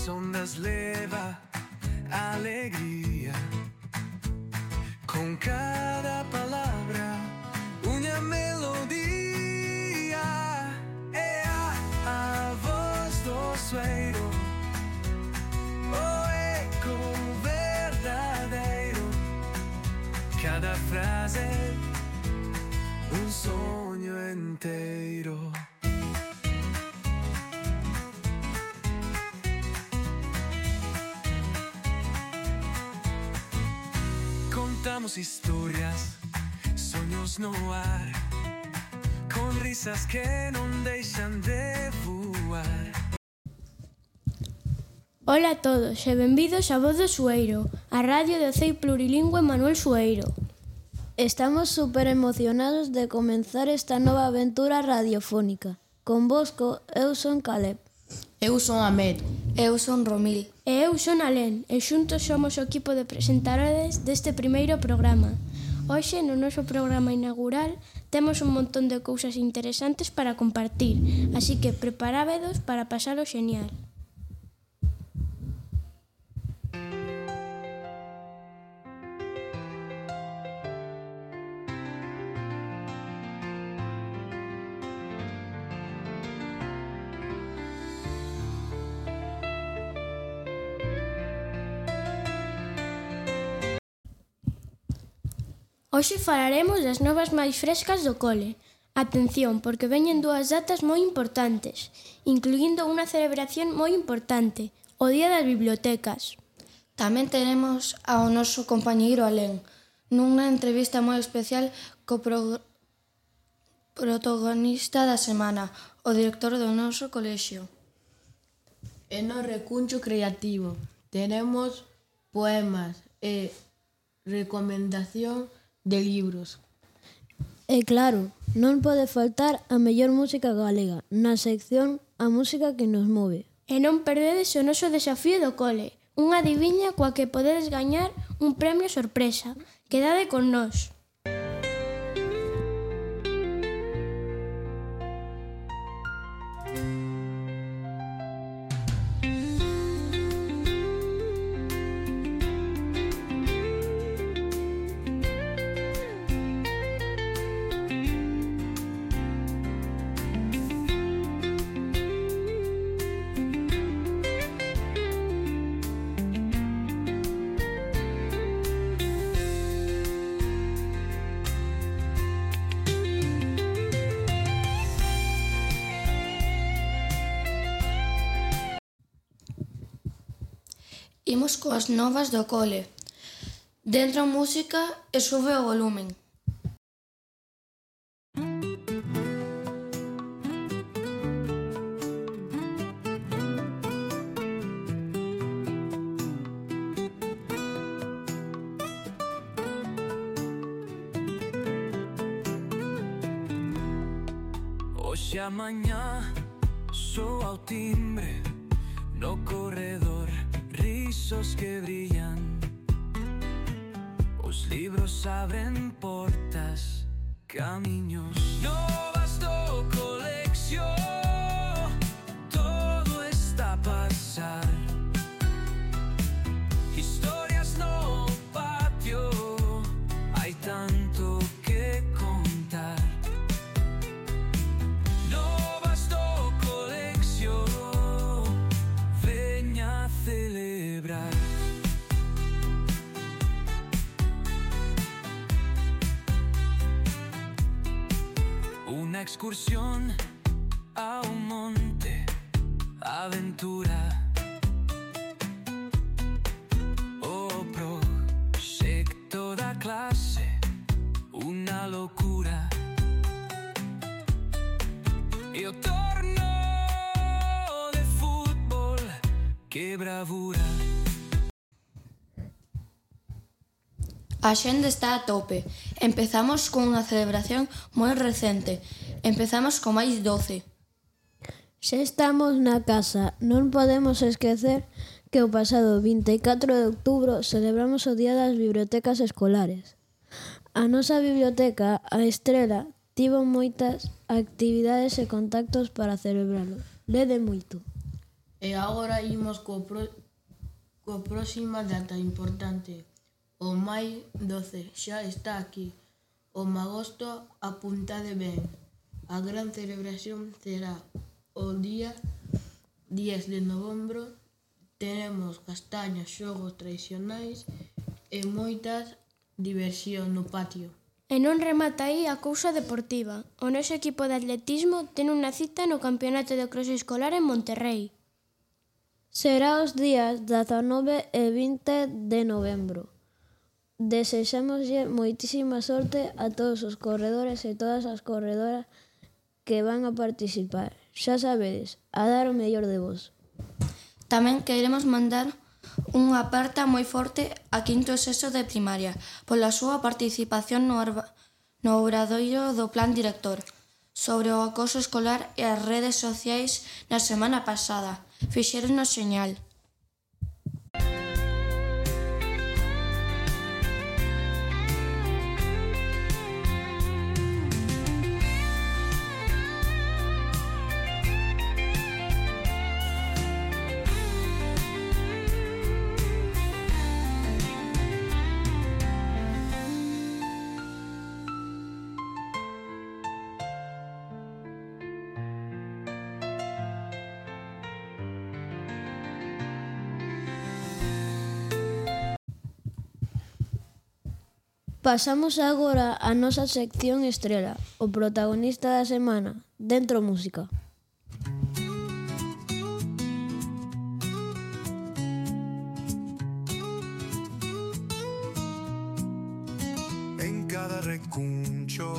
ondas leva a alegría. Con cada palabra unha melodía. É a voz do sueiro, o eco verdadeiro. Cada frase un sonho inteiro. Contamos historias, sonhos no ar, con risas que non deixan de voar. Ola a todos e benvidos a Voz do Sueiro, a radio do CEI Plurilingüe Manuel Sueiro. Estamos super emocionados de comenzar esta nova aventura radiofónica. Convosco, eu son Caleb. Eu son Ahmed. Eu son Romil. E eu son Alén, e xuntos somos o equipo de presentadores deste primeiro programa. Hoxe, no noso programa inaugural, temos un montón de cousas interesantes para compartir, así que preparábedos para pasalo xenial. Hoxe falaremos das novas máis frescas do cole. Atención, porque veñen dúas datas moi importantes, incluindo unha celebración moi importante, o Día das Bibliotecas. Tamén tenemos ao noso compañeiro Alén, nunha entrevista moi especial co protagonista da semana, o director do noso colexio. E no recuncho creativo tenemos poemas e recomendación de libros. E claro, non pode faltar a mellor música galega, na sección A Música que nos move. E non perdedes o noso desafío do cole, unha adiviña coa que podedes gañar un premio sorpresa. Quedade con nós. Imos coas novas do cole. Dentro a música e sube o volumen. Hoxe a mañá soa o timbre no corredor, risos que brillan. Os libros abren portas, camiños. Novas do colexio, todo está a pasar. Historias no patio, hai tanto que contar. Novas do colexio, veña a celebrar. Una excursión a un monte, aventura. O proxecto da clase, una locura. E o torno de fútbol, que bravura. A xente está a tope. Empezamos cunha celebración moi recente. Empezamos co máis 12. Se estamos na casa, non podemos esquecer que o pasado 24 de outubro celebramos o Día das Bibliotecas Escolares. A nosa biblioteca, a Estrela, tivo moitas actividades e contactos para celebralo. Lede moito. E agora imos coa próxima data importante. O Mai 12 xa está aquí. O magosto apuntade ben. A gran celebración será o día 10 de novembro. Teremos castañas, xogos tradicionais e moitas diversión no patio. E non remata aí a cousa deportiva. O noso equipo de atletismo ten unha cita no Campeonato de Cross Escolar en Monterrey. Será os días 19 e 20 de novembro. Desexámoslle moitísima sorte a todos os corredores e todas as corredoras que van a participar. Xa sabedes, a dar o mellor de vos. Tamén queremos mandar unha aperta moi forte a quinto e sexto de primaria pola súa participación no obradoiro do Plan Director sobre o acoso escolar e as redes sociais na semana pasada. Fixéronos señal. Pasamos agora a nosa sección estrela, o protagonista da semana, Dentro Música. En cada recuncho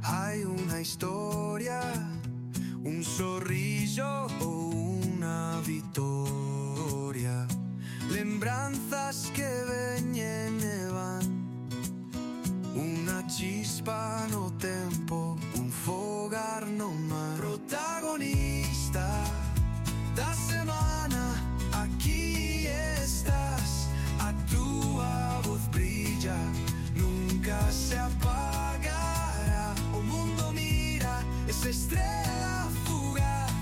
hay una historia, un sorriso o una victoria. Lembranzas que veñen e van, una chispa no tempo, un fogar no mar. Protagonista da semana, aquí estás, a túa voz brilla, nunca se apagará. O mundo mira esa estrela fugaz,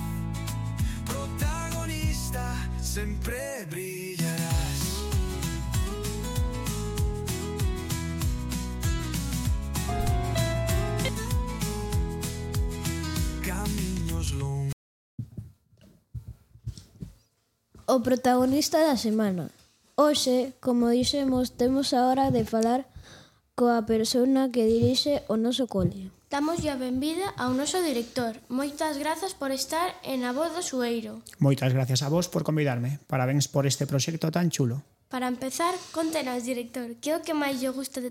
protagonista, sempre brillarás. Camiños longos. O protagonista da semana. Hoxe, como dixemos, temos a hora de falar coa persona que dirixe o noso cole. Damos a benvida ao noso director. Moitas grazas por estar en A Voz do Sueiro. Moitas gracias a vos por convidarme. Parabéns por este proxecto tan chulo. Para empezar, contenos, director, que é o que máis lle gusta de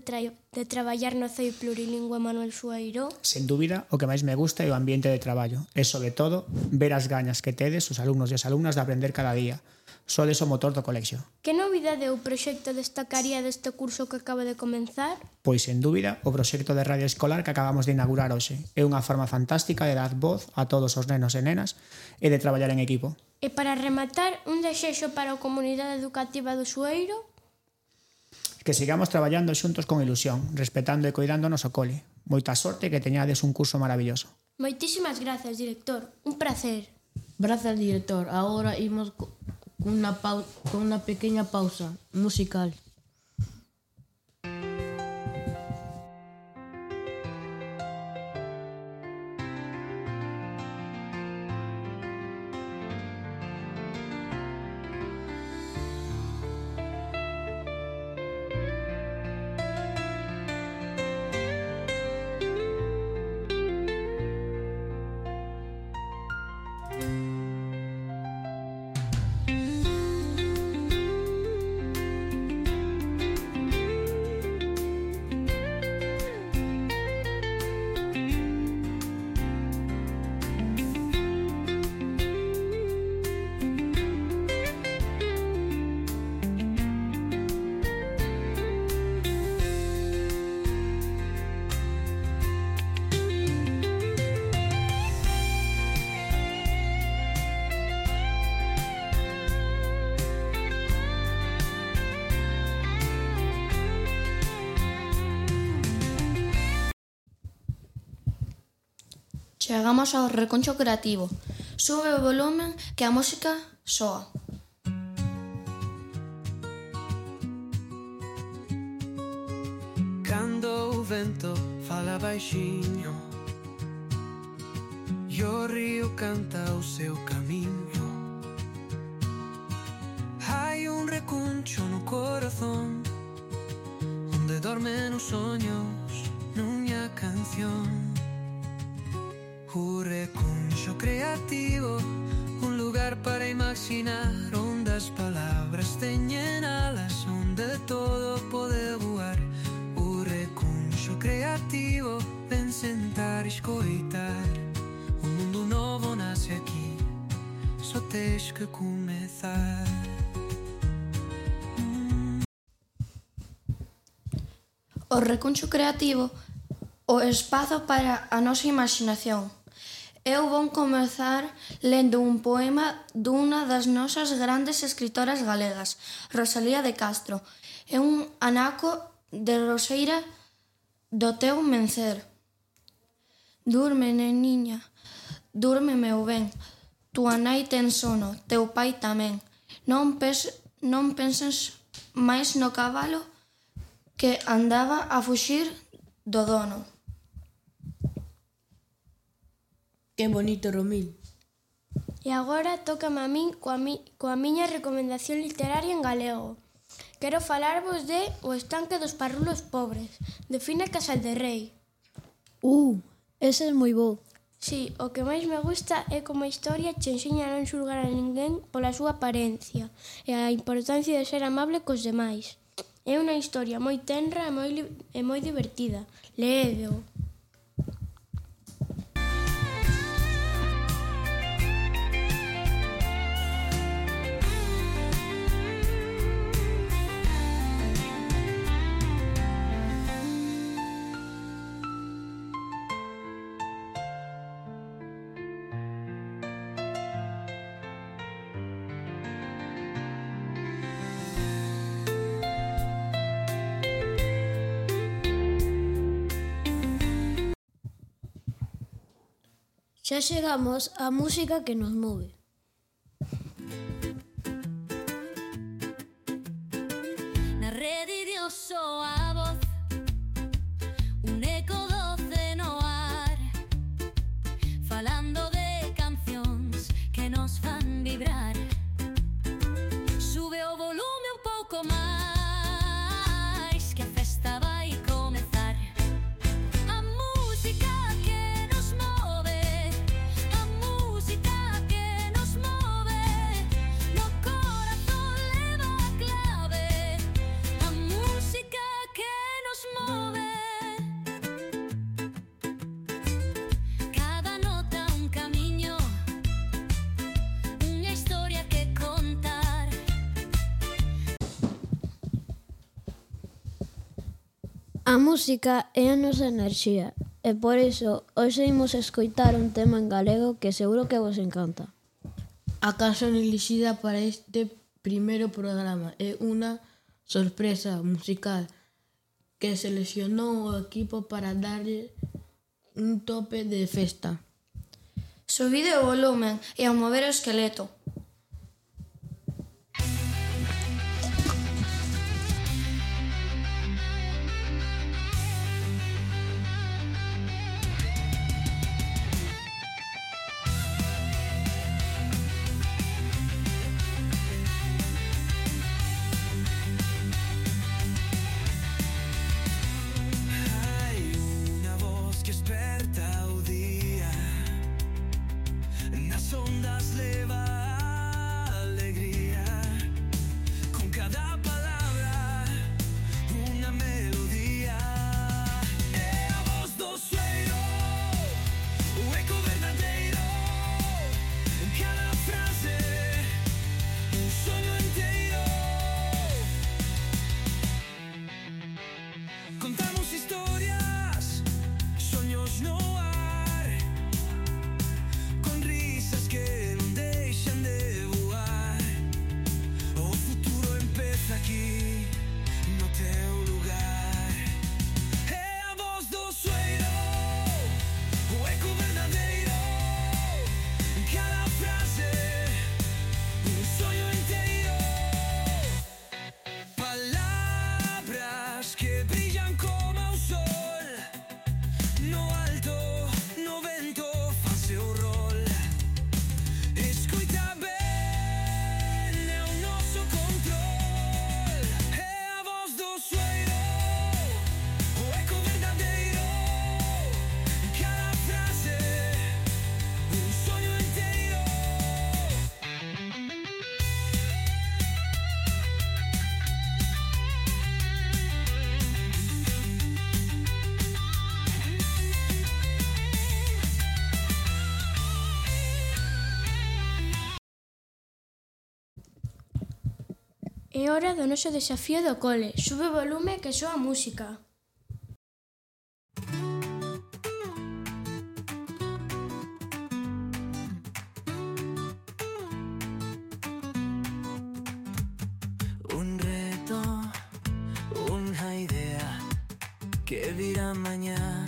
traballar no CEI Plurilingüe Manuel Sueiro? Sen dúbida, o que máis me gusta é o ambiente de traballo e, sobre todo, ver as gañas que tedes os alumnos e as alumnas de aprender cada día. Sodes o motor do colexio. Que novidade ou proxecto destacaría deste curso que acaba de comenzar? Pois, sen dúbida, o proxecto de radio escolar que acabamos de inaugurar hoxe. É unha forma fantástica de dar voz a todos os nenos e nenas e de traballar en equipo. E para rematar, un desexo para a comunidade educativa do Sueiro? Que sigamos traballando xuntos con ilusión, respetando e coidando o noso cole. Moita sorte e que teñades un curso maravilloso. Moitísimas grazas, director. Un placer. Grazas, director. Agora imos con una pequeña pausa musical. Chegamos ao reconcho creativo. Sube o volumen que a música soa. Cando o vento fala baixiño e o río canta o seu camiño, hai un recuncho no corazón onde dormen os soños nunha canción. O recuncho creativo, un lugar para imaginar onde as palabras teñen alas, onde todo pode voar. O recuncho creativo, ven sentar e escoitar. O mundo novo nasce aquí, só tens que comezar. O recuncho creativo, o espazo para a nosa imaginación. Eu vou comezar lendo un poema dunha das nosas grandes escritoras galegas, Rosalía de Castro. É un anaco de Roseira do teu mencer. Durme, neniña, durme meu ben, tua nai ten sono, teu pai tamén. Non penses máis no cabalo que andaba a fuxir do dono. Que bonito, Romil. E agora tócame a min coa miña recomendación literaria en galego. Quero falarvos de O estanque dos parrulos pobres, de Fina Casal-de-Rei. Ese é moi bo. Si, o que máis me gusta é como a historia che enseña a non xulgar a ninguén pola súa apariencia e a importancia de ser amable cos demais. É unha historia moi tenra e moi divertida. Léedeo. Xa chegamos á música que nos move. Na rede de soa a voz, un eco doce no ar, falando de cancións que nos fan vibrar. Sube o volume un pouco máis, que a festa vai comezar. A música que nos move, a música que nos move, no corazón leva a clave. A música que nos move. Cada nota un camiño, unha historia que contar. A música é a nosa enerxía e por iso hoxe imos escoitar un tema en galego que seguro que vos encanta. A canción elixida para este primeiro programa é unha sorpresa musical que seleccionou o equipo para darlle un tope de festa. Subide o volumen e a mover o esqueleto. Hai unha voz que esperta o día, nas ondas leva É hora do noso desafío do cole. Sube o volume que soa a música. Un reto, una idea que virá mañana.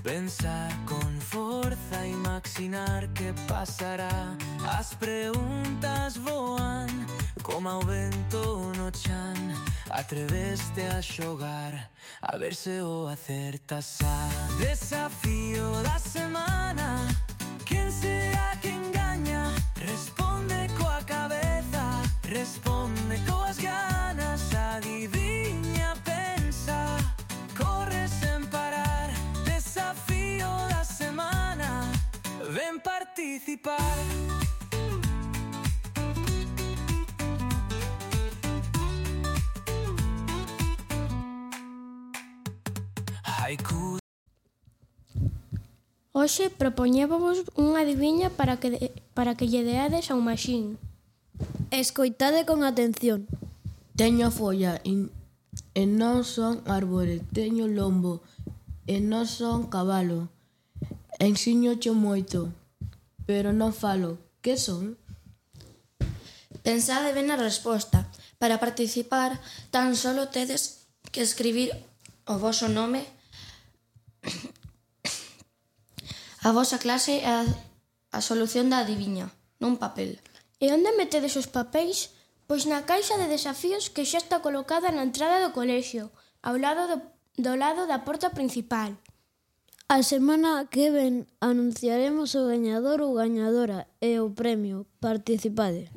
Pensar con forza, imaginar que pasará. As preguntas voan como ao vento no chan. Atreveste a xogar, a ver se o acertas. Desafío da semana, quen será que engaña? Responde coa cabeza, responde coas ganas. Adiviña, pensa, corre sen parar. Desafío da semana, ven participar. Haiku. Hoxe propoñévovos unha adiviña para que lle deades a un maxín. Escoitade con atención. Teño folla e non son árbore. Teño lombo e non son cabalo. Ensiñoche moito, pero non falo. Que son? Pensade ben na resposta. Para participar, tan solo tedes que escribir o voso nome, a vosa clase e a solución da adiviña, nun papel. E onde metedes os papéis? Pois na caixa de desafíos que xa está colocada na entrada do colexio, ao lado do lado da porta principal. A semana que ven anunciaremos o gañador ou gañadora e o premio. Participade.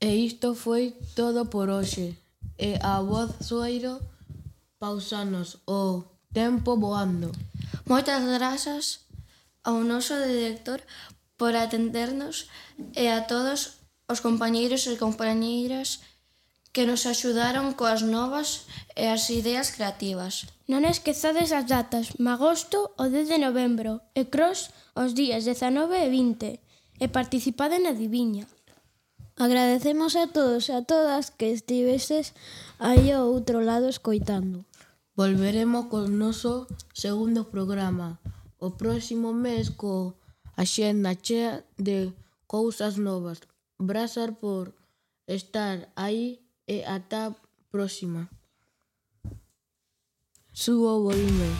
E isto foi todo por hoxe. E a voz Sueiro pausanos o tempo voando. Moitas grazas ao noso director por atendernos e a todos os compañeiros e compañeiras que nos axudaron coas novas e as ideas creativas. Non esquezades as datas, magosto o 10 de novembro e Cros os días 19 e 20 e participade na adiviña. Agradecemos a todos e a todas que estiveses aí ao outro lado escoitando. Volveremos co noso segundo programa o próximo mes co axenda chea de cousas novas. Grazas por estar aí e ata a próxima. Subo o volume.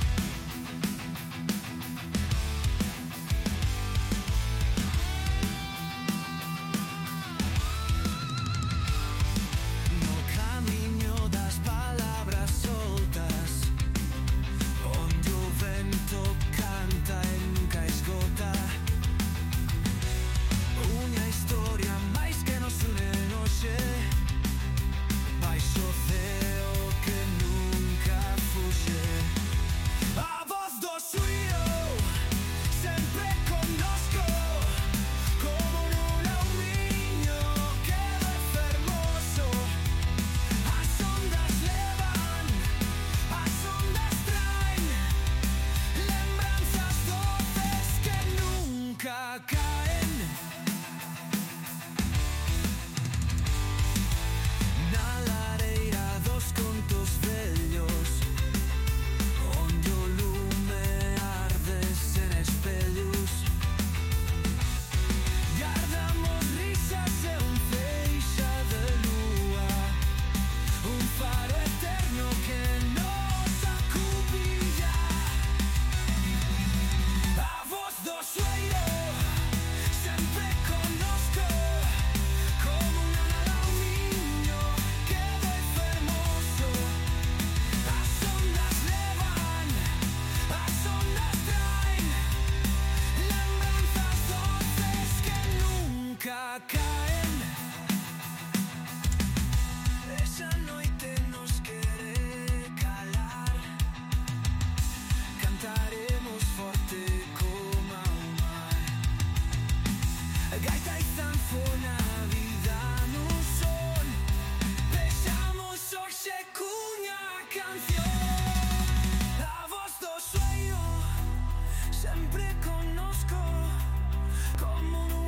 Sempre connosco como un